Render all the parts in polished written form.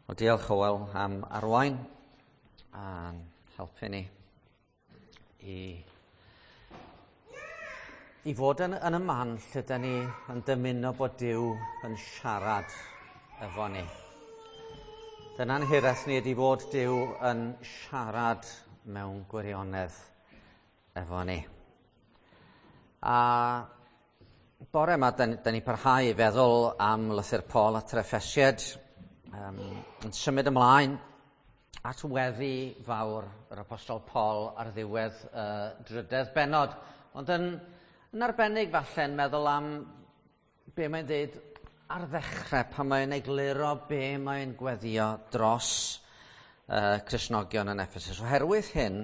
Wel, diolch Hywel am arwain a'n helpu ni i, i fod yn, yn y man lle da ni yn dymuno bod Duw yn siarad efo ni. Dyna'n hiraeth ni ydy bod Duw yn siarad mewn gwirionedd efo ni. A bore yma, da, da ni parhau i feddwl am lythyr Paul at yr Effesiad, um, yn symud ymlaen at weddi fawr yr Apostol Paul ar ddiwedd y drydedd bennod. Ond yn, yn arbennig falle'n meddwl am be mae'n dweud ar ddechrau pan mae'n egluro be mae'n gweddio dros uh, Cristnogion yn Ephesus. Oherwydd hyn,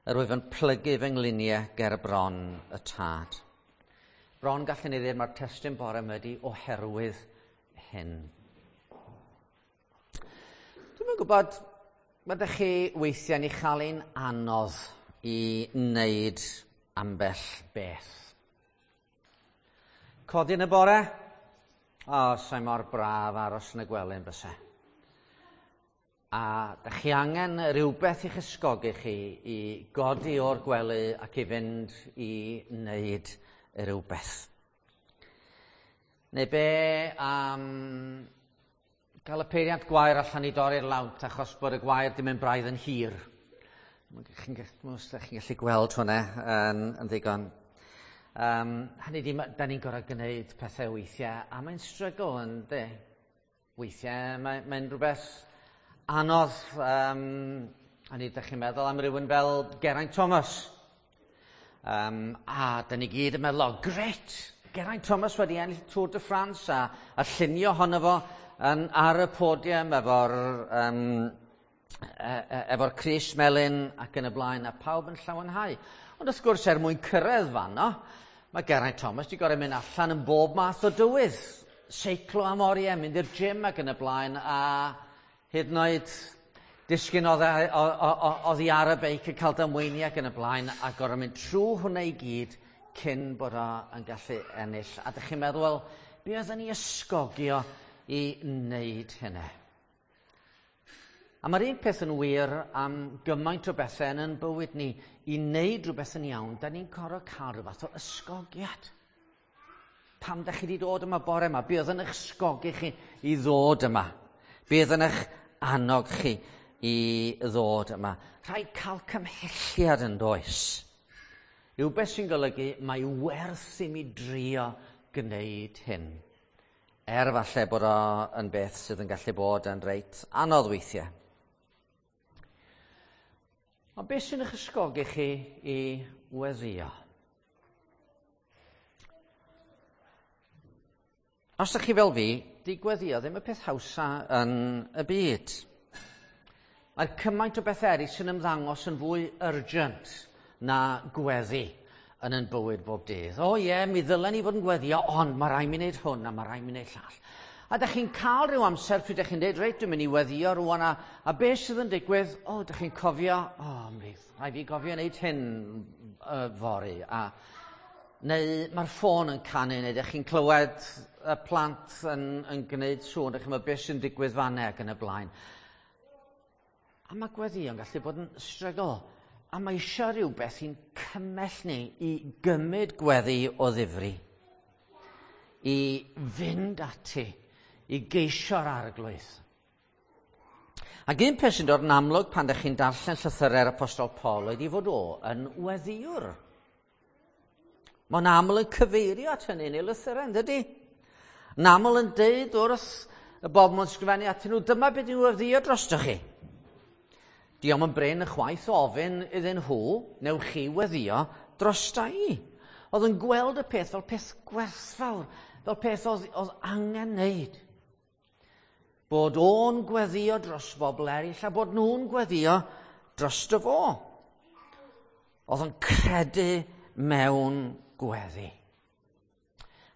yr wyf yn plygu fy ngliniau ger bron y tad. Bron gallwn ni ddweud mae'r testun bore yma ydi oherwydd hyn. Dwi'm yn gwybod, mae ydych chi weithiau'n ei chael hi'n anodd i wneud ambell beth. Codi yn y bore? O, sa'i mor braf aros yn y gwely yn byse. A da chi angen rhywbeth i'ch ysgogi chi i godi o'r gwely ac i fynd i wneud rhywbeth. Neu be am gael y peiriant gwair allan i dorri'r lawnt achos bod y gwair di mynd braidd yn hir. Chi'n chi gallu gweld hwnna yn, yn ddigon. Um, hynny di, da ni'n gorau gwneud pethau weithiau, a mae'n strygl yn de. Weithiau mae'n mae rhywbeth anodd. Um, a ni, ydych chi'n meddwl am rywun fel Geraint Thomas. Um, a da ni gyd yn meddwl, oh, gret, Geraint Thomas wedi ennill Tour de France a, a llunio honno fo yn, ar y podium efo'r um, e, e, efo'r crys melyn ac yn y blaen, a pawb yn llawenhau. Ond wrth gwrs, er mwyn cyrraedd fanno, mae Geraint Thomas wedi gorau mynd allan yn bob math o dywydd. Seiclo am oriau, mynd i'r gym ac yn y blaen, a hyd yn oed disgyn oddi ar y beic yn cael damweiniau ac yn y blaen, a gorau mynd trwy hwnna i gyd cyn bod o yn gallu ennill. A dych chi'n meddwl, wel, be oedden ni ysgogio i wneud hynny? A mae'r un peth yn wir am gymaint o bethau yn yn bywyd ni. I wneud rhywbeth yn iawn, da ni'n gorfod cael rhyw fath o ysgogiad. Pam da chi wedi dod yma bore yma? Be oedd yn eich ysgogi chi i ddod yma? Be oedd yn eich annog chi i ddod yma? Rhaid cael cymhelliad yn does. Rhywbeth sy'n golygu mae werth i mi drio gwneud hyn. Er falle bod o yn beth sydd yn gallu bod yn reit anodd weithiau. Ond beth sy'n eich ysgogi chi i weddio? Os ydych chi fel fi, di gweddio ddim y peth hawsa yn y byd. Mae cymaint o bethau eraill sy'n ymddangos yn fwy urgent na gweddi yn yn bywyd bob dydd. O ie, mi ddylen ni fod yn gweddio, ond mae rhaid mi wneud hwn a mae rhaid mi wneud llall. A da chi'n cael rhyw amser pryd ydych chi'n dweud, reit, dwi'n mynd i weddio rwan, a, a beth sydd yn digwydd? O, ydych chi'n cofio, o, mi rhaid fi gofio wneud hyn uh, fory. A, neu mae'r ffôn yn canu, neu ydych chi'n clywed y plant yn, yn gwneud sŵn, ydych chi'n meddwl beth sy'n digwydd fanna ac yn y blaen. A mae gweddïo'n gallu bod yn strygl. A mae eisiau rhywbeth i'n cymell ni i gymryd gweddi o ddifri, i fynd ati, i geisio'r arglwydd. Ac un peth sy'n dod yn amlwg pan ydych chi'n darllen llythyrau'r Apostol Paul oedd i fod o yn weddiwr. Mae'n aml yn cyfeirio at hynny yn ei lythyrau, yn dydy? Yn aml yn deud wrth y bobl mae'n sgrifennu atyn nhw, dyma beth yw weddio drostoch chi. Diolch yn brin y chwaith o ofyn iddyn nhw, newch chi weddio drosta i. Oedd yn gweld y peth fel peth gwerthfawr, fel peth oedd, oedd angen wneud. Bod o'n gweddio dros bobl eraill a bod nhw'n gweddio drosto fo. Oedd yn credu mewn gweddi.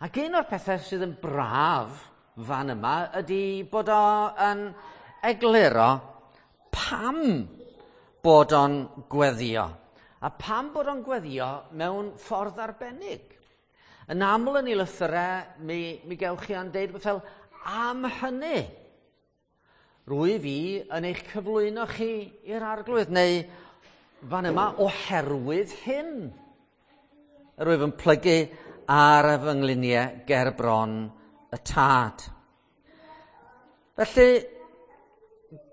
Ac un o'r pethau sydd yn braf fan yma ydy bod o yn egluro pam bod o'n gweddio. A pam bod o'n gweddio mewn ffordd arbennig. Yn aml yn ei lythyrau, mi, mi gewch chi o'n deud fel am hynny. Rwyf fi yn eich cyflwyno chi i'r Arglwydd, neu fan yma oherwydd hyn. Rwyf yn plygu ar fy ngliniau ger bron y Tad. Felly,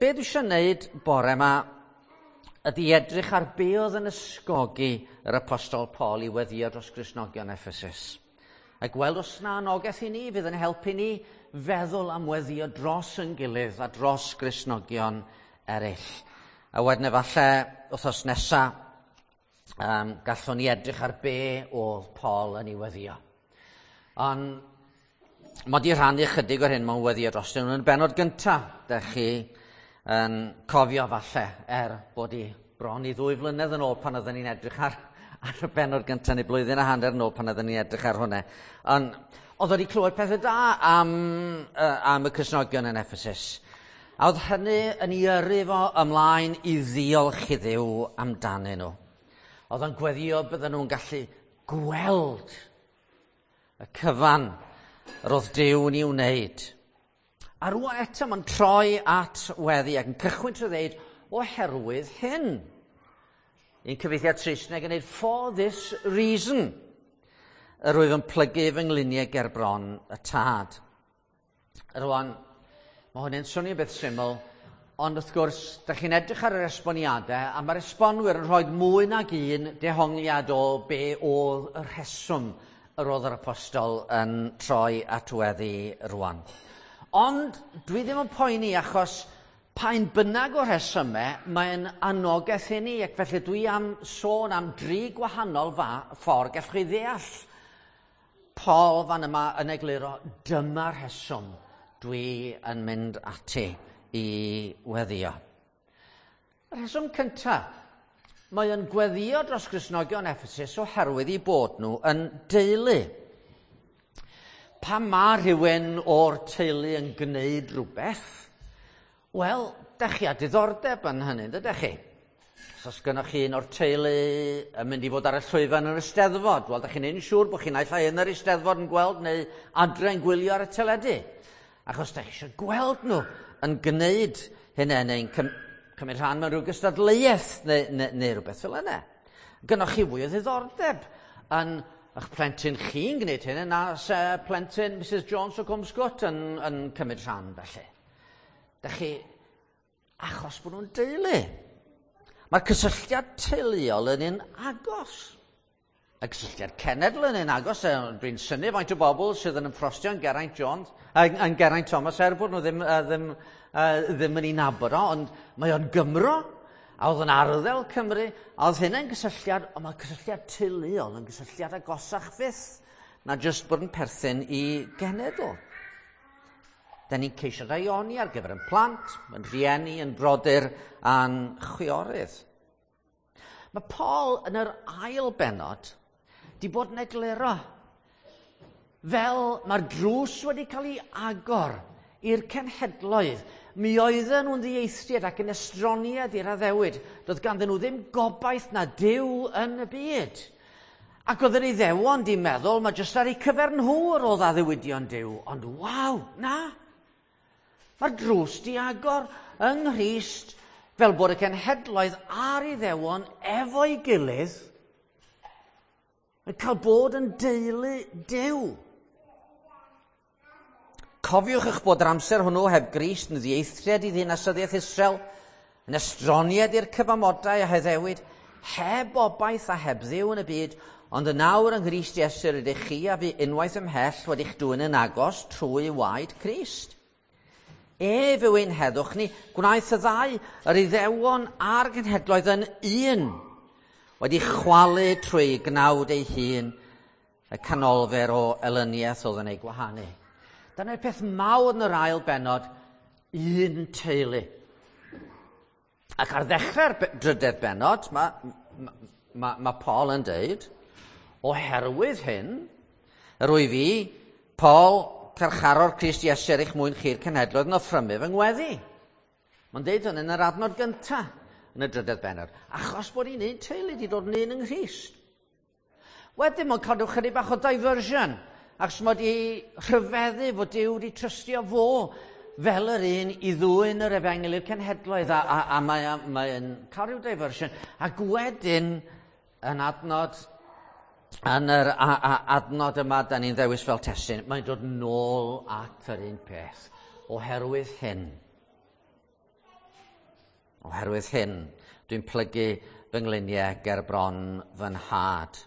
be dwi eisiau gwneud bore yma ydy edrych ar be oedd yn ysgogi yr Apostol Paul i weddio dros Gristnogion Ephesus. A gweld os na anogaeth i ni fydd yn helpu ni feddwl am weddio dros yn gilydd a dros Gristnogion eraill. A wedyn efallai wythnos nesa, gallwn ni edrych ar be oedd Paul yn ei weddio. Ond mae di rhannu chydig o'r hyn mewn weddio dros nhw yn y bennod gyntaf. Dech chi yn cofio falle, er bod i bron i 2 flynedd yn ôl pan oedden ni'n edrych ar y bennod gyntaf, neu blwyddyn a hanner yn ôl pan oedden ni'n edrych ar hwnna. Ond oedd wedi clywed pethau da am y Cristnogion yn Ephesus. A oedd hynny yn ei yrru fo ymlaen i ddiolch i Dduw amdanyn nhw. Oedd o'n gweddio bydden nhw'n gallu gweld y cyfan yr oedd Duw yn ei wneud. A rwan eto mae'n troi at weddi ac yn cychwyn trwy ddeud, oherwydd hyn. Un cyfieithiad Saesneg yn dweud, for this reason, yr wyf yn plygu fy ngliniau ger bron y Tad. Rwan, mae hwn yn swnio beth syml, ond wrth gwrs, da chi'n edrych ar yr esboniadau, a mae'r esbonwyr yn rhoi mwy nag un dehongliad o be oedd y rheswm yr oedd yr apostol yn troi at weddi rwan. Ond dwi ddim yn poeni achos pa'n bynnag o rhesymau, mae'n anogaeth i ni, ac felly dwi am sôn am 3 gwahanol ffordd gallwch chi ddeall. Paul fan yma yn egluro, dyma'r rheswm dwi yn mynd ati i weddio. Y rheswm cyntaf, mae yn gweddio dros Gristnogion Ephesus oherwydd eu bod nhw yn deulu. Pan mae rhywun o'r teulu yn gwneud rhywbeth, wel, dach chi â diddordeb yn hynny, dydych chi? Os oes gynnoch chi un o'r teulu yn mynd i fod ar y llwyfan yn yr Eisteddfod, wel, dach chi'n neud yn siŵr bod chi'n naill ai yn yr Eisteddfod yn gweld neu adre yn gwylio ar y teledu. Achos dach chi eisiau gweld nhw yn gwneud hynna neu'n cymryd rhan mewn rhyw gystadleuaeth neu rhywbeth fel yna. Gynnoch chi fwy o ddiddordeb yn eich plentyn chi'n gwneud hynna na se plentyn Mrs Jones o Cwm Sgwt yn cymryd rhan felly. Dach chi, achos bod nhw'n deulu. Mae'r cysylltiad teuluol yn un agos. Y cysylltiad cenedl yn un agos. Dwi'n synnu faint o bobl sydd yn ymffrostio yn Geraint Jones, yn Geraint Thomas, er bod nhw ddim yn ei nabod o, ond mae o'n Gymro, a oedd yn arddel Cymru, a oedd hynny'n gysylltiad, ond mae'r cysylltiad teuluol yn gysylltiad agosach fyth na jyst bod yn perthyn i genedl. Da ni'n ceisio daioni ar gyfer yn plant, yn rhieni, yn brodyr a'n chwiorydd. Mae Paul yn yr ail bennod di bod yn egluro fel mae'r drws wedi cael ei agor i'r cenhedloedd. Mi oedden nhw'n ddieithriad ac yn estroniad i'r addewid. Doedd ganddyn nhw ddim gobaith na Duw yn y byd. Ac oedd yr Iddewon di meddwl, mae jyst ar eu cyfer nhw yr oedd addewidion Duw. Ond waw, na. Mae'r drws di agor yng Nghrist fel bod y cenhedloedd a'r Iddewon efo'i gilydd yn cael bod yn deulu Duw. Cofiwch eich bod yr amser hwnnw heb Grist yn ddieithriad i ddinasyddiaeth Israel, yn estroniad i'r cyfamodau a heddewid, heb obaith a heb Dduw yn y byd, ond yn awr yng Nghrist Iesu rydych chi a fi unwaith ymhell wedi'ch dwyn yn agos trwy waed Crist. Ef yw ein heddwch ni, gwnaeth y ddau, yr Iddewon a'r genhedloedd yn un, wedi chwalu trwy gnawd ei hun y canolfer o elyniaeth oedd yn ei gwahanu. Dyna'r peth mawr yn yr ail bennod, un teulu. Ac ar ddechrau'r drydedd bennod, mae Paul yn deud, oherwydd hyn, yr wyf fi, Paul, carcharor Crist Iesu er eich mwyn chi'r cenhedloedd yn offrymu fy ngweddi. Mae'n deud hwn yn yr adnod gyntaf yn y drydedd bennod, achos bod ni'n un teulu wedi dod yn un yng Nghrist. Wedyn mae'n cadw chydig bach o diversion, achos mae wedi rhyfeddu fod Duw wedi trystio fo fel yr un i ddwyn yr efengyl i'r cenhedloedd, a mae'n mae cael rhyw diversion. Ac wedyn, yn adnod, yn yr adnod yma da ni'n ddewis fel testun, mae'n dod nôl at yr un peth. Oherwydd hyn, oherwydd hyn, dwi'n plygu fy ngliniau ger bron fy nhad.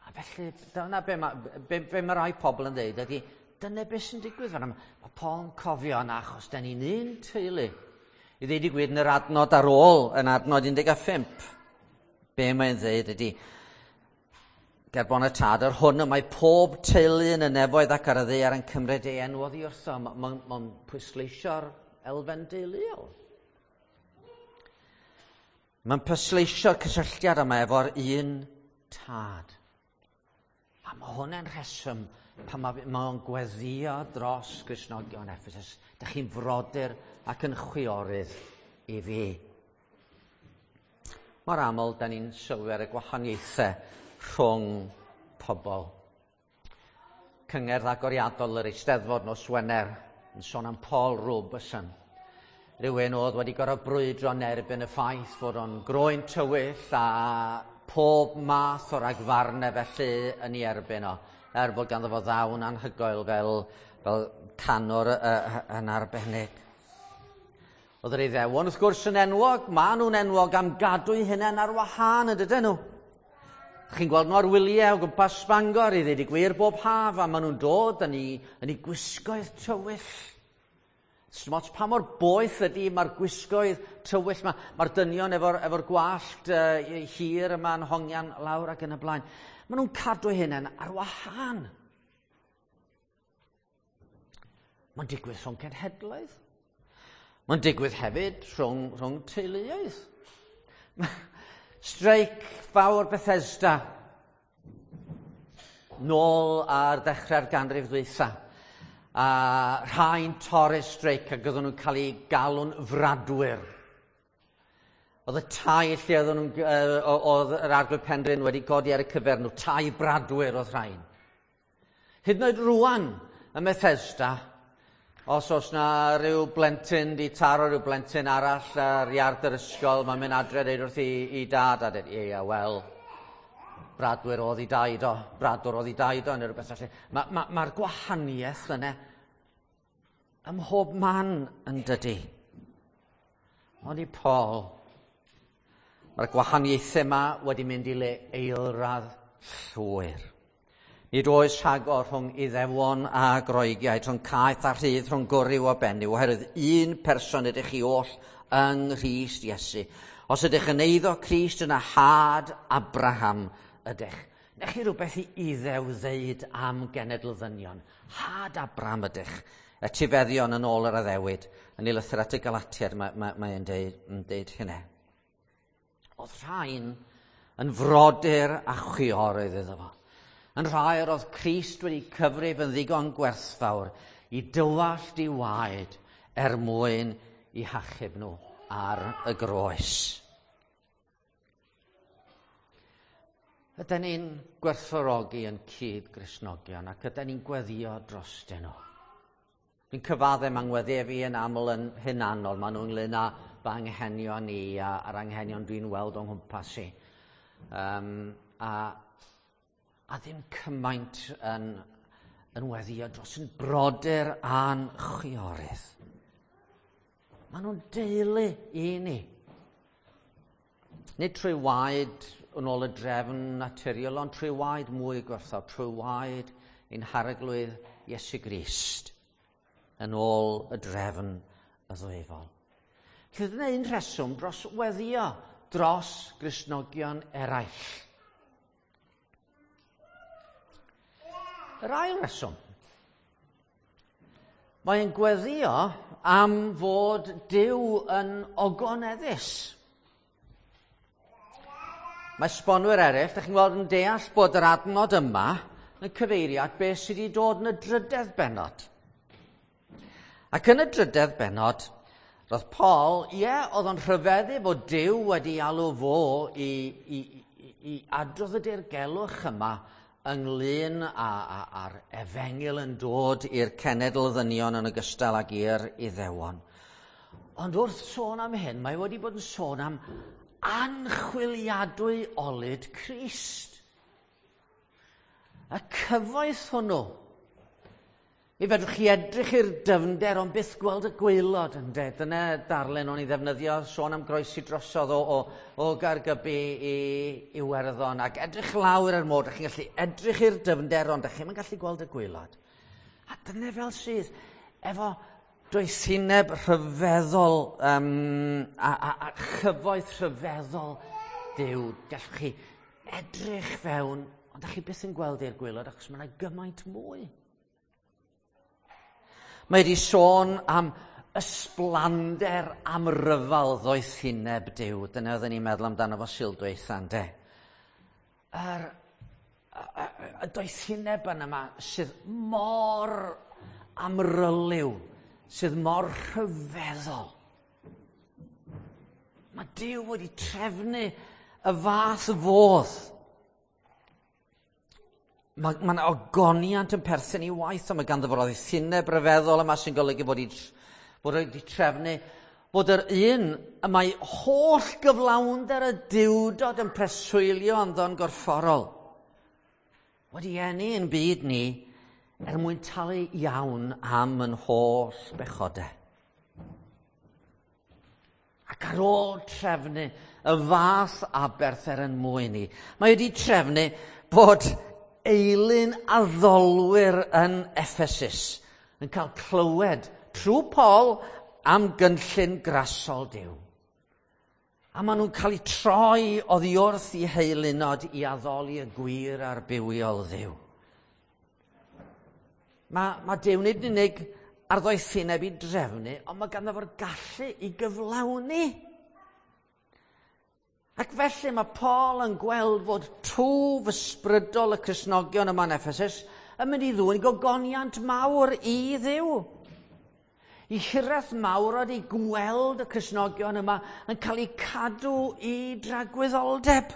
A felly, dyna be mae, be mae rai pobl yn dweud ydy, dyna beth sy'n digwydd fan yma. Mae Paul yn cofio yna achos da ni'n un teulu. I ddeud i gwir yn yr adnod ar ôl, yn adnod 15, be mae'n dweud ydy, ger bron y tad, yr hwn y mae pob teulu yn y nefoedd ac ar y ddaear yn cymryd ei enw oddi wrtho. Mae'n ma pwysleisio'r elfen deuluol. Mae'n pwysleisio'r cysylltiad yma efo'r un tad. A mae hwnna'n rheswm pan mae o'n gweddio dros Gristnogion Ephesus. Dych chi'n frodyr ac yn chwiorydd i fi. Mor aml, da ni'n sylwi ar y gwahaniaethau rhwng pobl. Cyngerdd agoriadol yr Eisteddfod nos Wener yn sôn am Paul Robeson. Rhywun oedd wedi gorfod brwydro yn erbyn y ffaith fod o'n groen tywyll a pob math o ragfarnau felly yn ei erbyn o, er bod ganddo fo ddawn anhygoel fel canwr yn arbennig. Oedd yr Iddewon wrth gwrs yn enwog, maen nhw'n enwog am gadw'u hunain ar wahân, yn dydyn nhw. Chi'n gweld nhw ar wyliau o gwmpas Bangor i ddweud y gwir bob haf, a maen nhw'n dod yn eu gwisgoedd tywyll. Sdim ots pa mor boeth ydy, mae'r gwisgoedd tywyll, mae'r dynion efo gwallt hir yma'n hongian lawr ac yn y blaen. Maen nhw'n cadw hunain ar wahân. Mae'n digwydd rhwng cenhedloedd. Mae'n digwydd hefyd rhwng teuluoedd. Streic fawr Bethesda nôl ar ddechrau'r ganrif ddwytha. A rhai'n torri'r streic ac oedden nhw'n cael eu galw'n fradwyr. Oedd y tai lle oedden nhw'n, oedd yr Arglwydd Penrhyn wedi godi ar y cyfer nhw, tai bradwyr oedd rhain. Hyd yn oed rwan ym Methesda, os oes na rhyw blentyn di taro rhyw blentyn arall ar iard yr ysgol, mae'n mynd adre deud wrth i dad a dweud, ie, wel, bradwyr oedd i daid o, bradwr oedd i daid o, neu rhywbeth felly. Mae'r gwahaniaeth yna ym mhob man yn dydy. Ond i Paul, mae'r gwahaniaethau yma wedi mynd i le eilradd llwyr. Nid oes rhagor rhwng Iddewon a Groegiaid, rhwng caeth a rhydd, rhwng gwryw a benyw, oherwydd un person ydych chi oll yng Nghrist Iesu. Os ydych yn eiddo Crist yna had Abraham ydych. Nech chi rhywbeth i Iddew ddeud am genedl ddynion. Had Abraham ydych. Etifeddion yn ôl yr addewid. Yn ei lythyr at y Galatiaid mae'n deud hynny. Oedd rhain yn frodyr a chwiorydd iddo fo. Yn rhai yr oedd Crist wedi cyfrif yn ddigon gwerthfawr i dywallt i waed er mwyn i hachub nhw ar y groes. Ydy ni'n gwerthfawrogi yn cyd-Gristnogion ac ydy ni'n gweddio drostyn nhw? Dwi'n cyfadde mae ngweddi fi yn aml yn hunanol. Maen nhw ynglyn â fy anghenion i a'r anghenion dwi'n weld o'n nghwmpas i. A ddim cymaint yn weddio dros yn brodyr a'n chwiorydd. Maen nhw'n deulu i ni. Nid trwy waed yn ôl y drefn naturiol, ond trwy waed mwy gwerthfawr, trwy waed ein harglwydd Iesu Grist, yn ôl y drefn y ddwyfol. Felly dyna un rheswm dros weddio dros Gristnogion eraill. Yr ail reswm, mae'n gweddio am fod Duw yn ogoneddus. Mae sbonwyr eraill, dych chi'n gweld yn deall bod yr adnod yma yn cyfeirio at beth sydd wedi dod yn y drydedd bennod. Ac yn y drydedd bennod, roedd Paul, ie, oedd o'n rhyfeddu bod Duw wedi alw fo i adrodd y dirgelwch yma ynglyn â'r efengyl yn dod i'r cenedl ddynion yn ogystal ag i'r Iddewon. Ond wrth sôn am hyn, mae wedi bod yn sôn am anchwiliadwy olud Crist. Y cyfoeth hwnnw. Mi fedrwch chi edrych i'r dyfnder ond byth gweld y gwaelod, ynde. Dyna darlun o'n i ddefnyddio, sôn am groesi drosodd o Gaergybi i Iwerddon ac edrych lawr ar môr, dych chi'n gallu edrych i'r dyfnder ond dych chi'm yn gallu gweld y gwaelod. A dyna fel sydd efo doethineb rhyfeddol a chyfoeth rhyfeddol Duw. Gallwch chi edrych fewn, ond dych chi byth yn gweld i'r gwaelod achos mae yna gymaint mwy. Mae wedi sôn am ysblander amryfal ddoethineb Duw. Dyna oedden ni'n meddwl amdano fo Sul dwytha, ynde? Y doethineb yna yma sydd mor amryliw, sydd mor rhyfeddol. Mae Duw wedi trefnu y fath fodd. Mae yna ogoniant yn perthyn i waith, ond mae ganddo fo'r ddoethineb ryfeddol yma sy'n golygu bod wedi trefnu bod yr un y mae holl gyflawnder y Duwdod yn preswylio ynddo'n gorfforol wedi eni yn byd ni er mwyn talu iawn am yn holl bechodau. Ac ar ôl trefnu y fath aberth er yn mwyn ni, mae wedi trefnu bod eilun addolwyr yn Ephesus yn cael clywed trwy Paul am gynllun grasol Duw. A maen nhw'n cael eu troi oddi wrth i heilunod i addoli y gwir a'r bywiol Dduw. Mae Duw nid yn unig ar ddoethineb i drefnu, ond mae ganddo fo'r gallu i gyflawni. Ac felly mae Paul yn gweld fod twf ysbrydol y Cristnogion yma yn Ephesus yn mynd i ddwyn gogoniant mawr i Dduw. I hiraeth mawr oedd i gweld y Cristnogion yma yn cael eu cadw i dragwyddoldeb.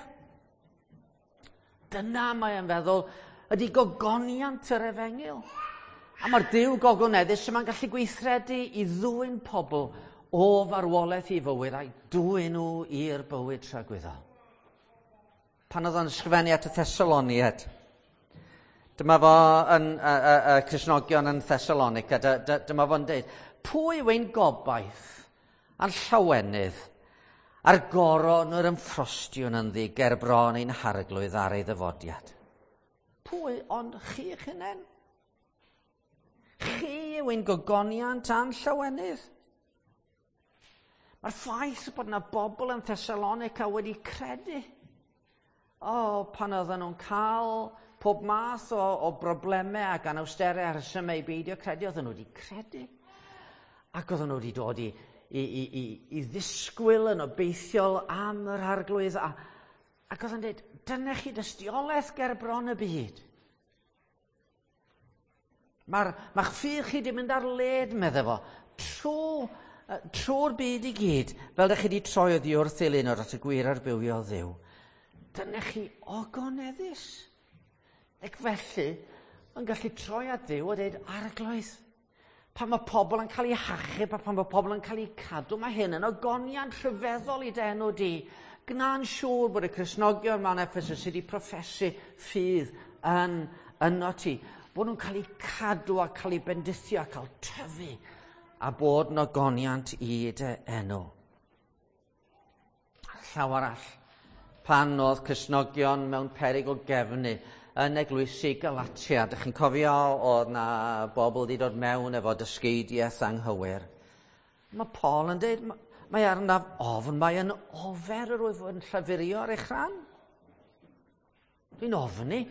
Dyna mae e'n feddwl ydy gogoniant yr efengyl. A mae'r Duw gogoneddus yma'n gallu gweithredu i ddwyn pobl o farwolaeth i fywyd a'i dwyn nhw i'r bywyd tragwyddol. Pan oedd o'n ysgrifennu at y Thessaloniaid, dyma fo yn y Cristnogion yn Thessalonica, dyma fo'n deud, pwy yw ein gobaith a'n llawenydd a'r goron yr ymffrostiwn ynddi ger bron ein harglwydd ar ei ddyfodiad? Pwy ond chi eich hunain? Chi yw ein gogoniant a'n llawenydd. Mae'r ffaith bod yna bobl yn Thessalonica wedi credu. O, pan oedden nhw'n cael pob math o broblemau ac anawsterau a rhesymau i beidio credu, oedden nhw wedi credu. Ac oedden nhw wedi dod i ddisgwyl yn obeithiol am yr arglwydd. Ac oedden nhw'n dweud, dyna chi dystiolaeth ger bron y byd. Mae'ch ffydd chi wedi mynd ar led, medde fo, trwy'r byd i gyd, fel ydych chi wedi troi oddi wrth eilunod at y gwir a'r bywiol Dduw. Dyna chi ogoneddus. Ac felly, yn gallu troi at Dduw a dweud, arglwydd, pan mae pobl yn cael eu hachub a pan mae pobl yn cael eu cadw, mae hyn yn ogoniant rhyfeddol i dy enw di. Gna'n siŵr bod y Cristnogion mewn Ephesus sydd wedi proffesu ffydd yn yno ti, bod nhw'n cael eu cadw a cael eu bendithio a cael tyfu a bod yn ogoniant i dy enw. Llaw arall, pan oedd Cristnogion mewn peryg o gefnu yn eglwysi Galatia, dych chi'n cofio oedd na bobl wedi dod mewn efo dysgeidiaeth anghywir. Mae Paul yn dweud, mae arnaf ofn, mae yn ofer yr wyf yn llafurio ar eich rhan. Dwi'n ofni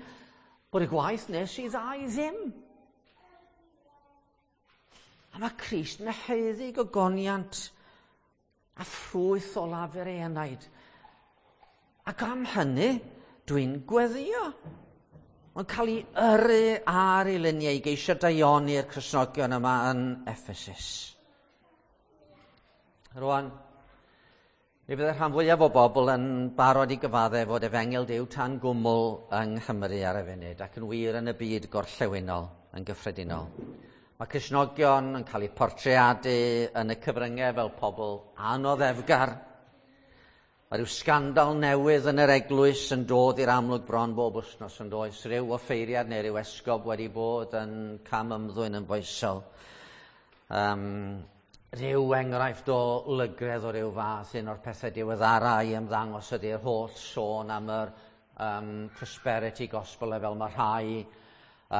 bod y gwaith nes i dda i ddim. A mae Crist yn haeddu gogoniant a ffrwyth o lafur ei enaid. Ac am hynny, dwi'n gweddio. Mae'n cael ei yrru ar ei luniau i geisio daioni'r Cristnogion yma yn Ephesus. Rwan, Mi fydde rhan fwyaf o bobl yn barod i gyfadde fod efengyl Duw tan gwmwl yng Nghymru ar y funud ac yn wir yn y byd gorllewinol yn gyffredinol. Mae Cristnogion yn cael eu portreadu yn y cyfryngau fel pobl anoddefgar. Mae rhyw sgandal newydd yn yr eglwys yn dod i'r amlwg bron bob wythnos yn does. Rhyw offeiriad neu rhyw esgob wedi bod yn cam ymddwyn yn foesol. Rhyw enghraifft o lygredd o ryw fath, un o'r pethau diweddara i ymddangos ydy'r holl sôn am yr prosperity gospel, fel mae rhai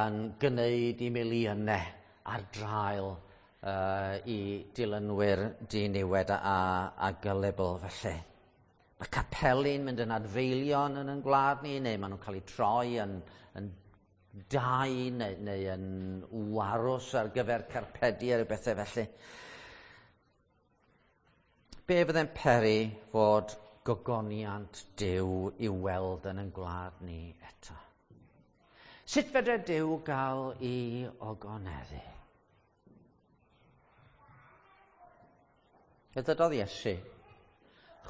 yn gwneud i miliynau ar draul i dilynwyr diniwed a gullible felly. Mae capeli'n mynd yn adfeilion yn gwlad ni, neu maen nhw'n cael eu troi yn dai neu yn warws ar gyfer carpedi a rhyw bethau felly. Be fydde'n peri fod gogoniant Duw i'w weld yn ein gwlad ni eto? Sut fedre Duw gael ei ogoneddu? Fe ddydodd Iesu,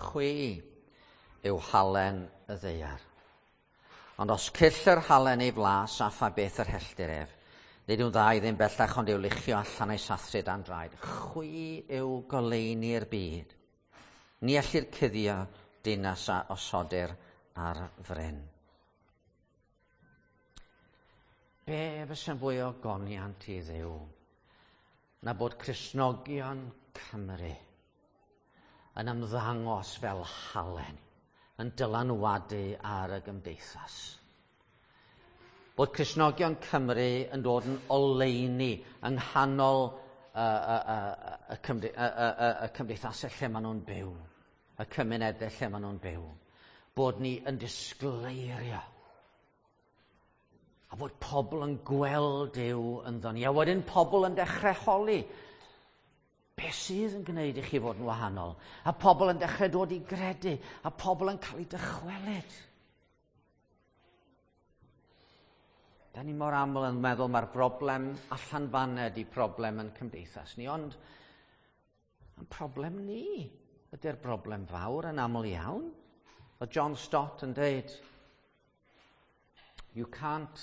chwi yw halen y ddaear. Ond os cyll yr halen ei flas a pha beth yr helltir ef, nid yw'n dda i ddim bellach ond i'w luchio allan a'i sathru dan draed. Chwi yw goleuni'r byd. Ni ellir cuddio dinas a osodir ar fryn. Be fysa'n fwy o goniant i Dduw na bod Cristnogion Cymru yn ymddangos fel halen, yn dylanwadu ar y gymdeithas? Bod Cristnogion Cymru yn dod yn oleuni yng nghanol y cymdeithasau lle maen nhw'n byw, y cymunedau lle maen nhw'n byw. Bod ni yn disgleirio. A bod pobl yn gweld Duw ynddo ni. A wedyn pobl yn dechrau holi. Be sydd yn gwneud i chi fod yn wahanol? A pobl yn dechrau dod i gredu. A pobl yn cael eu dychwelyd. Da ni mor aml yn meddwl mae'r broblem allan fan'na ydi problem yn cymdeithas ni, ond yn problem ni ydy'r broblem fawr yn aml iawn. O John Stott yn deud, you can't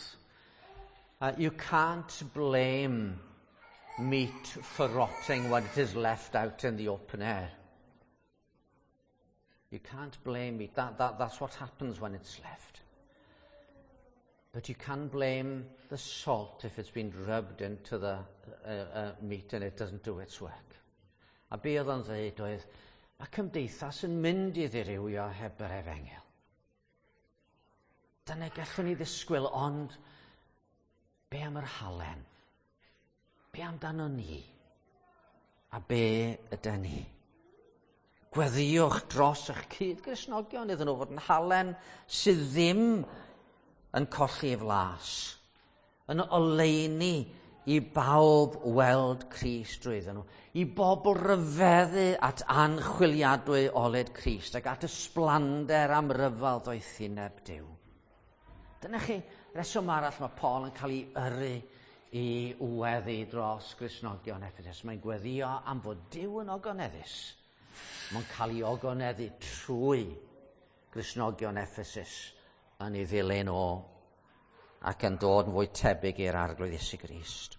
blame meat for rotting when it is left out in the open air. You can't blame meat. That's what happens when it's left. But you can blame the salt if it's been rubbed into the meat and it doesn't do its work. A be oedd o'n dweud oedd, mae cymdeithas yn mynd i ddirywio heb yr efengyl. Dyna gallwn ni ddisgwyl, ond be am yr halen? Be amdano ni? A be ydy ni? Gweddïwch dros eich cyd-Gristnogion iddyn nhw fod yn halen sydd ddim yn colli ei flas, yn oleuni i bawb weld Crist drwyddyn nhw, i bobl ryfeddu at anchwiliadwy oled Crist ac at ysblander amryfal ddoethineb Duw. Dyna chi reswm arall mae Paul yn cael ei yrru i weddi dros Gristnogion Ephesus. Mae'n gweddïo am fod Duw yn ogoneddus. Mae'n cael ei ogoneddu trwy Gristnogion Ephesus yn ei ddilyn o ac yn dod yn fwy tebyg i'r Arglwydd Iesu Grist.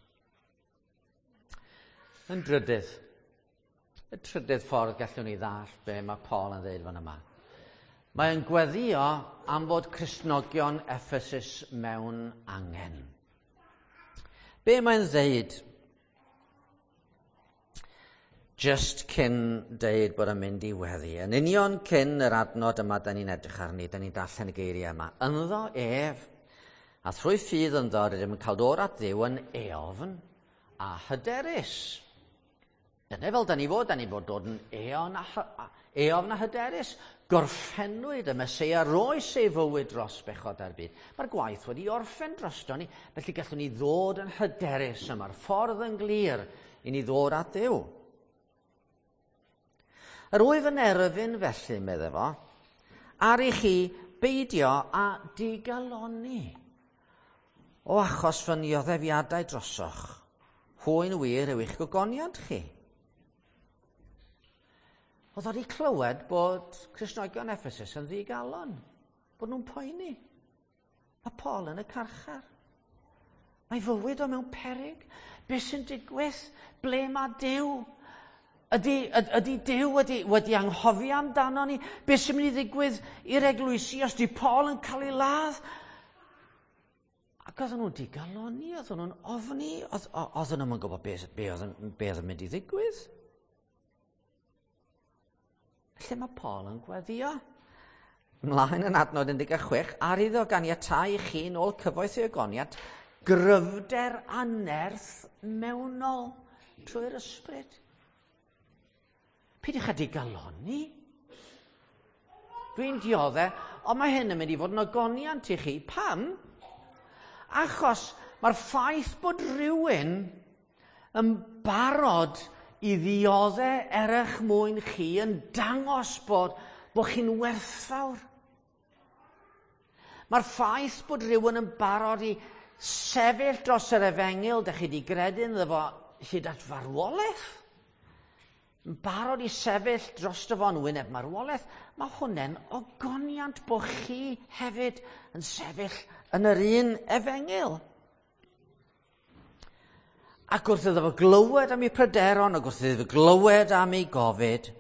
Yn drydydd, y trydydd ffordd gallwn ni ddallt be mae Paul yn dweud fan yma. Mae'n gweddïo am fod Cristnogion Ephesus mewn angen. Be mae'n dweud? Just cyn deud bod yn mynd i weddi. Yn union cyn yr adnod yma da ni'n edrych arni, da ni'n darllen y geiriau yma. Ynddo ef, a thrwy ffydd ynddo, rydym yn cael dod at Dduw yn eofn a hyderus. Dyna fel da ni fod dod yn eofn a hyderus. Gorffennwyd y Meseia roes ei fywyd dros bechod ar byd. Mae'r gwaith wedi orffen drosto ni, felly gallwn ni ddod yn hyderus yma'r ffordd yn glir i ni ddod at Dduw. Yr wyf yn erfyn felly, medde fo, ar i chi beidio a digalonni o achos fy nioddefiadau drosoch. Hwy'n wir yw eich gogoniant chi. Oedd wedi clywed bod Cristnogion Ephesus yn ddigalon, bod nhw'n poeni. Mae Paul yn y carchar. Mae fywyd o mewn peryg. Be sy'n digwydd? Ble mae Duw? Ydy Duw wedi anghofio amdano ni? Be sy'n mynd i ddigwydd i'r eglwysi os di Paul yn cael ei ladd? Ac oedden nhw'n digaloni, oedden nhw'n ofni, oedden nhw'n gwybod be oedd yn mynd i ddigwydd. Lle mae Paul yn gweddio? Ymlaen yn adnod 16, ar iddo ganiatáu i chi nôl cyfoeth ei ogoniant, gryfder a nerth mewnol trwy'r ysbryd. Peidiwch â digaloni. Dwi'n diodde, ond mae hyn yn mynd i fod yn ogoniant i chi. Pam? Achos mae'r ffaith bod rhywun yn barod i ddiodde er eich mwyn chi yn dangos bod chi'n werthfawr. Mae'r ffaith bod rhywun yn barod i sefyll dros yr efengyl, dych chi wedi gredu ynddo fo hyd at farwolaeth, yn barod i sefyll drosto fo yn wyneb marwolaeth, mae hwnna'n ogoniant bod chi hefyd yn sefyll yn yr un efengyl. Ac wrth iddo fo glywed am ei pryderon, ac wrth iddo fo glywed am ei gofid,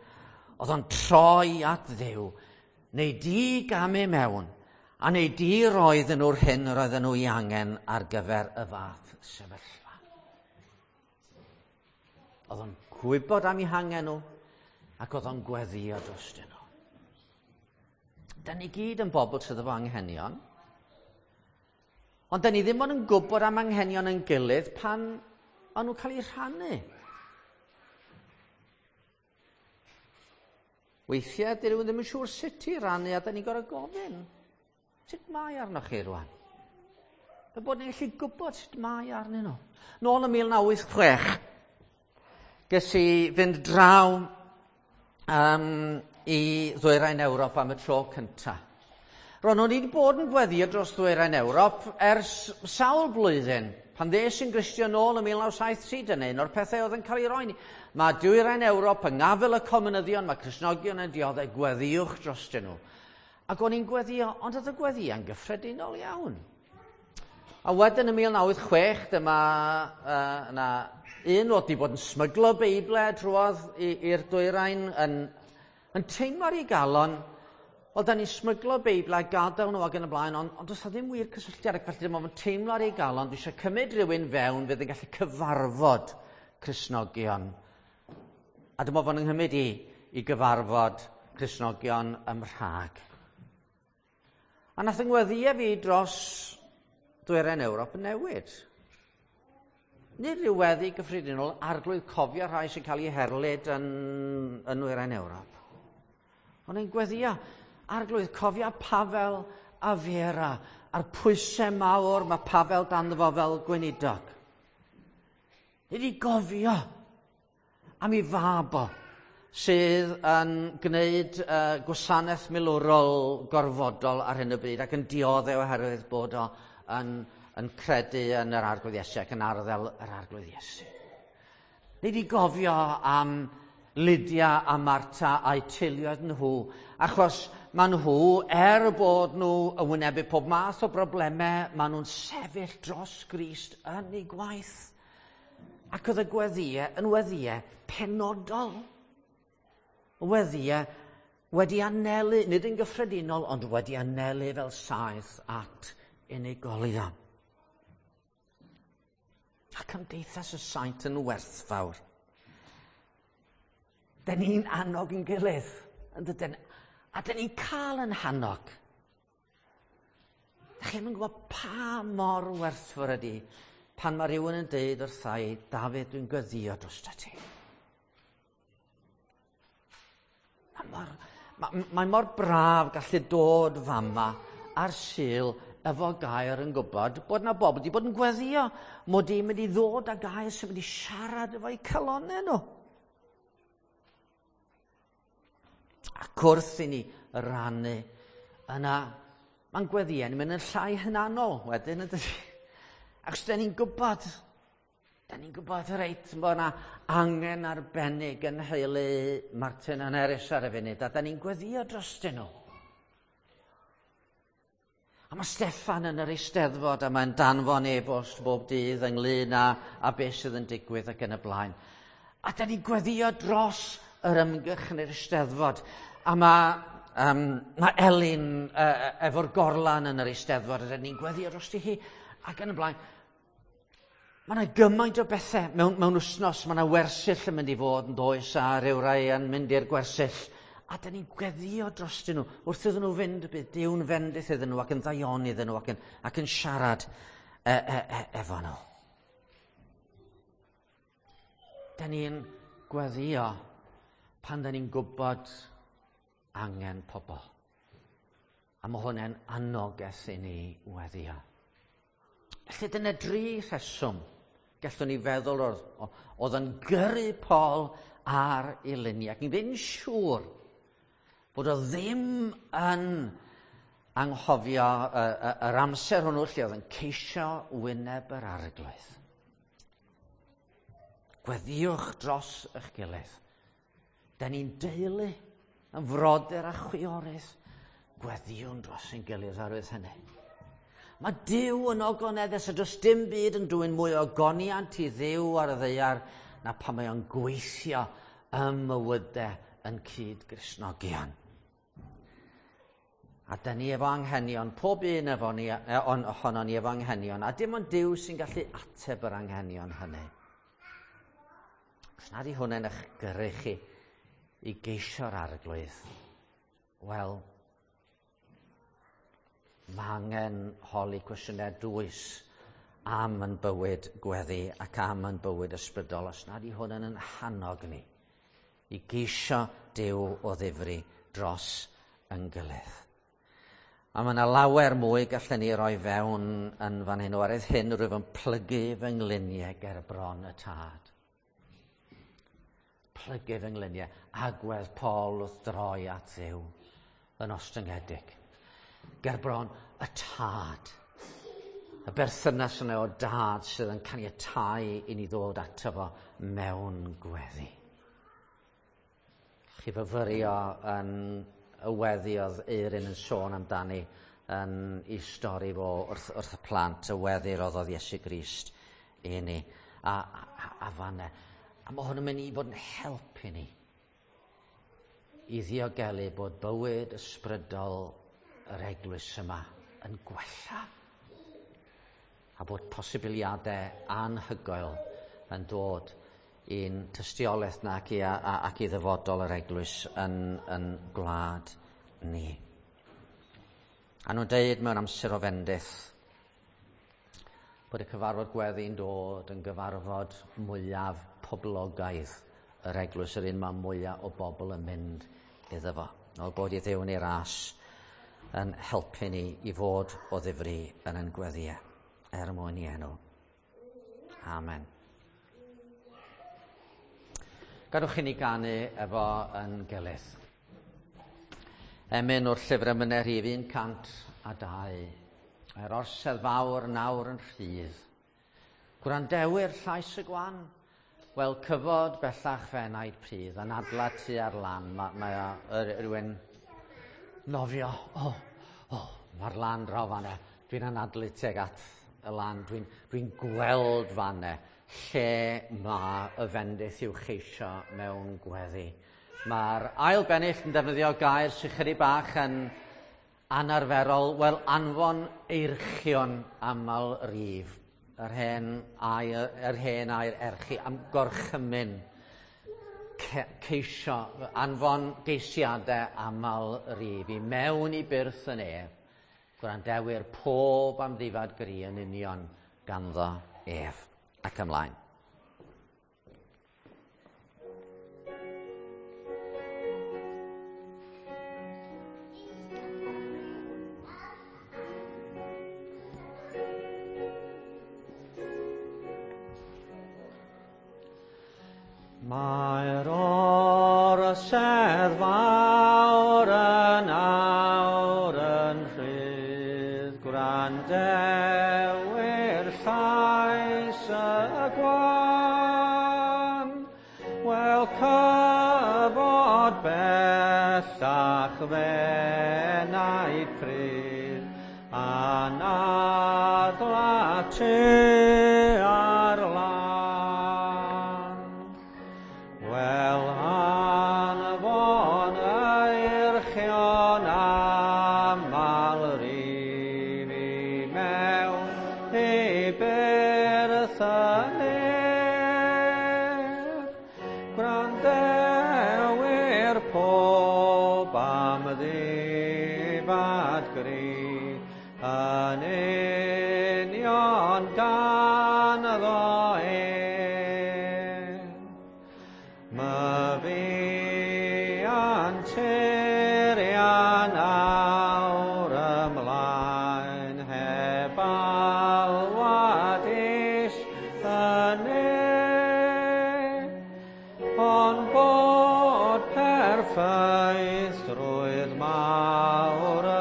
oedd o'n troi at Dduw, neu di gamu mewn, a neu di roedden nhw'r hyn yr oedden nhw ei angen ar gyfer y fath sefyllfa. Oedd o'n gwybod am eu hangen nhw, ac oedd o'n gweddio drostyn nhw. Da ni gyd yn bobl sydd efo anghenion, ond da ni ddim ond yn gwybod am anghenion yn gilydd pan o'n nhw'n cael eu rhannu. Weithiau, dyn nhw ddim yn siŵr sut i rannu, a da ni'n gorfod gofyn. Sut mae arnoch chi rwan? Fel bod ni'n gallu gwybod sut mae arnyn nhw. Nôl yn 1986, ges i fynd draw i ddwyrain Ewrop am y tro cyntaf. Ro'n nhw wedi bod yn gweddio dros ddwyrain Ewrop ers sawl blwyddyn. Pan ddes i'n Gristion nôl yn 1973, dyna un o'r pethau oedd yn cael ei roi ni. Mae dwyrain Ewrop yng ngafel y comunyddion, mae Cristnogion yn dioddef, gweddiwch drostyn nhw. Ac o'n i'n gweddio, ond oedd y gweddiau'n gyffredinol iawn. A wedyn yn 1986, dyma yna un oedd wedi bod yn smyglo Beiblau drwodd i'r dwyrain yn teimlo ar ei galon, wel, da ni'n smyglo Beiblau, gadael nhw ac yn y blaen, ond does 'na ddim wir cysylltiad, ac felly dyma fo'n teimlo ar ei galon, dwi eisiau cymryd rhywun fewn fydd yn gallu cyfarfod Cristnogion. A dyma fo'n nghymryd i gyfarfod Cristnogion ym Mhrag. A nath yng ngweddïau fi dros dwyrain Ewrop yn newid. Nid rhyw weddi gyffredinol, arglwydd cofio rhai sy'n cael eu herlid yn nwyrain Ewrop. Ond ein gweddio, arglwydd cofio Pavel a Vera, a'r pwysau mawr mae Pavel dan fo fel gweinidog. Nid i gofio am ei fab o, sydd yn gwneud gwasanaeth milwrol gorfodol ar hyn o bryd ac yn dioddef oherwydd bod o yn credu yn yr Arglwydd Iesu ac yn arddel yr Arglwydd Iesu. Nid i gofio am Lydia a Marta a'u teuluoedd nhw, achos maen nhw, er bod nhw yn wynebu pob math o broblemau, maen nhw'n sefyll dros Grist yn eu gwaith. Ac oedd y gweddïau yn weddïau penodol. Weddïau wedi anelu, nid yn gyffredinol, ond wedi anelu fel saeth at unigolion. A cymdeithas y saint yn werthfawr. Da ni'n annog yn gilydd, yn dydyn? A da ni'n cael yn hannog. Da chi'm yn gwybod pa mor werthfawr ydi pan mae rhywun yn deud wrtha i, Dafydd, dwi'n gweddio drosta ti. Mae mor braf gallu dod fama ar Sul efo gair yn gwybod bod na bobl wedi bod yn gweddio mod i'n mynd i ddod â gair sy'n mynd i siarad efo'u calonnau nhw. Ac wrth i ni rannu yna, mae'n gweddiau yn mynd yn llai hynanol wedyn, yn dydi? Ac os da ni'n gwybod, Da ni'n gwybod reit bod yna angen arbennig yn nheulu Martin a Nerys ar y funud, a da ni'n gweddio drostyn nhw. A mae Steffan yn yr Eisteddfod a mae'n danfon e-bost bob dydd ynglyn â beth sydd yn digwydd ac yn y blaen. A da ni'n gweddio dros yr ymgyrch yn yr Eisteddfod. A mae Elin efo'r gorlan yn yr Eisteddfod a da ni'n gweddio drosti hi ac yn y blaen. Mae yna gymaint o bethau mewn wythnos, mae yna wersyll yn mynd i fod yn does a rhyw rai yn mynd i'r gwersyll. A da ni'n gweddio drostyn nhw. Wrth iddyn nhw fynd, bydd Duw'n fendith iddyn nhw ac yn ddaioni iddyn nhw ac yn siarad efo nhw. Da ni'n gweddio pan da ni'n gwybod angen pobl. A mae hwnna'n anogaeth i ni weddio. Felly dyna dri rheswm gallwn ni feddwl oedd yn gyrru Paul ar ei luniau. Ac ni'n ddim siŵr bod o ddim yn anghofio yr amser hwnnw lle oedd yn ceisio wyneb yr Arglwydd. Gweddiwch dros eich gilydd. Da ni'n deulu, yn frodyr a chwiorydd. Gweddiwn dros ein gilydd oherwydd hynny. Mae Duw yn ogoneddus a does dim byd yn dwyn mwy o ogoniant i Dduw ar y ddaear na pan mae o'n gweithio ym mywydau yn cyd-Gristnogion. A da ni efo anghenion, pob un efo ni, ohono ni efo anghenion, a dim ond Duw sy'n gallu ateb yr anghenion hynny. Os nad yw hwnna'n eich gyrru chi i geisio'r Arglwydd, wel, mae angen holi cwestiynau dwys am yn bywyd gweddi ac am yn bywyd ysbrydol, os nad yw hwn yn hannog ni i geisio Duw o ddifri dros yn gilydd. A mae yna lawer mwy gallen ni roi fewn yn fan hyn. Oherwydd hyn rwyf yn plygu fy ngliniau ger bron y Tad. Plygu fy ngliniau. Agwedd Paul wrth droi at Dduw yn ostyngedig. Ger bron y Tad. Y berthynas yna o dad sydd yn caniatáu i ni ddod ato fo mewn gweddi. Chi fyfyrio yn y weddi oedd Eirin yn sôn amdani yn ei stori fo wrth y plant, y weddi roddodd Iesu Grist i ni. A fanne. A mae hwn yn mynd i fod yn help i ni i ddiogelu bod bywyd ysbrydol yr eglwys yma yn gwella a bod posibiliadau anhygoel yn dod i'n tystiolaeth na ac i ddyfodol yr eglwys yn gwlad ni. A nhw'n deud mewn amser o fendith bod y cyfarfod gweddi'n dod yn gyfarfod mwyaf poblogaidd yr eglwys, yr un mae mwyaf o bobl yn mynd iddo fo. O bod i Dduw yn ei ras yn helpu ni i fod o ddifri yn ein gweddiau, er mwyn i enw. Amen. Gadwch i ni ganu efo yn gilydd. Emyn o'r llyfr emynau rhif 102. Yr orsedd fawr nawr yn rhydd. Gwrandewyr llais y gwan. Wel, cyfod bellach fenaid pridd, anadla tu ar lan. Mae rhywun nofio. O, mae'r lan draw fanne. Dwi'n anadlu tuag at y lan. Dwi'n gweld fanne lle mae y fendith i'w cheisio mewn gweddi. Mae'r ail bennill yn defnyddio gair sy'n chydig bach yn anarferol. Wel, anfon eirchion aml rif. Yr hen air erchi am gorchymyn ceisio, anfon geisiadau aml rif i mewn i byrth yn ef, gwrandewyr pob amddifad gri yn union ganddo ef. Ac ymlaen. Mae'r orsedd fawr yn awr yn rhydd, gwrandewyr llais y gwan. Wel cyfod bellach f'enaid prudd, anadla tua'r lan. Wel anfon eirchion aml rif i mewn i byrth y nef. Gwrandewyr pob am ddifad gri, yn union ganddo ef. Myfi anturian awr ymlaen heb alwad is y nef, ond bod perffeithrwydd mawr y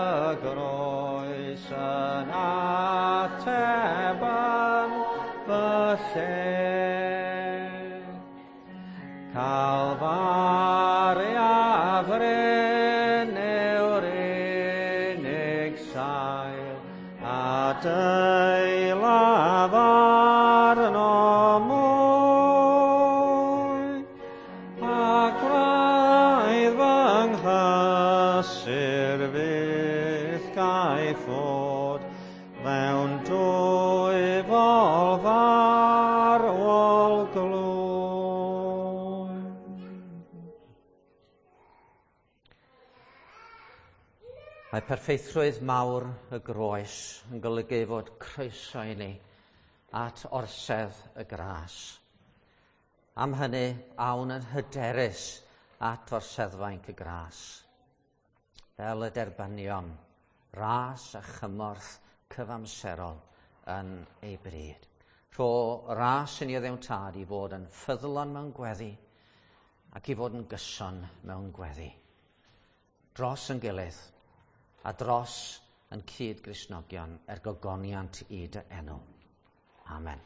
groes yn ateb yn fy lle. Calfaria fryn yw'r unig sail, a deilaf arno mwy, a gwraidd fy nghysur fyth gaiff fod mewn dwyfol farwol glwy. Mae perffeithrwydd mawr y groes yn golygu fod croeso i ni at orsedd y gras. Am hynny, awn yn hyderus at orseddfainc y gras. Fel y derbynion, ras a chymorth cyfamserol yn ei bryd. Rho ras i ni o Dduw Tad i fod yn ffyddlon mewn gweddi ac i fod yn gyson mewn gweddi. Dros yn gilydd a dros yn cyd-Gristnogion er gogoniant i dy enw. Amen.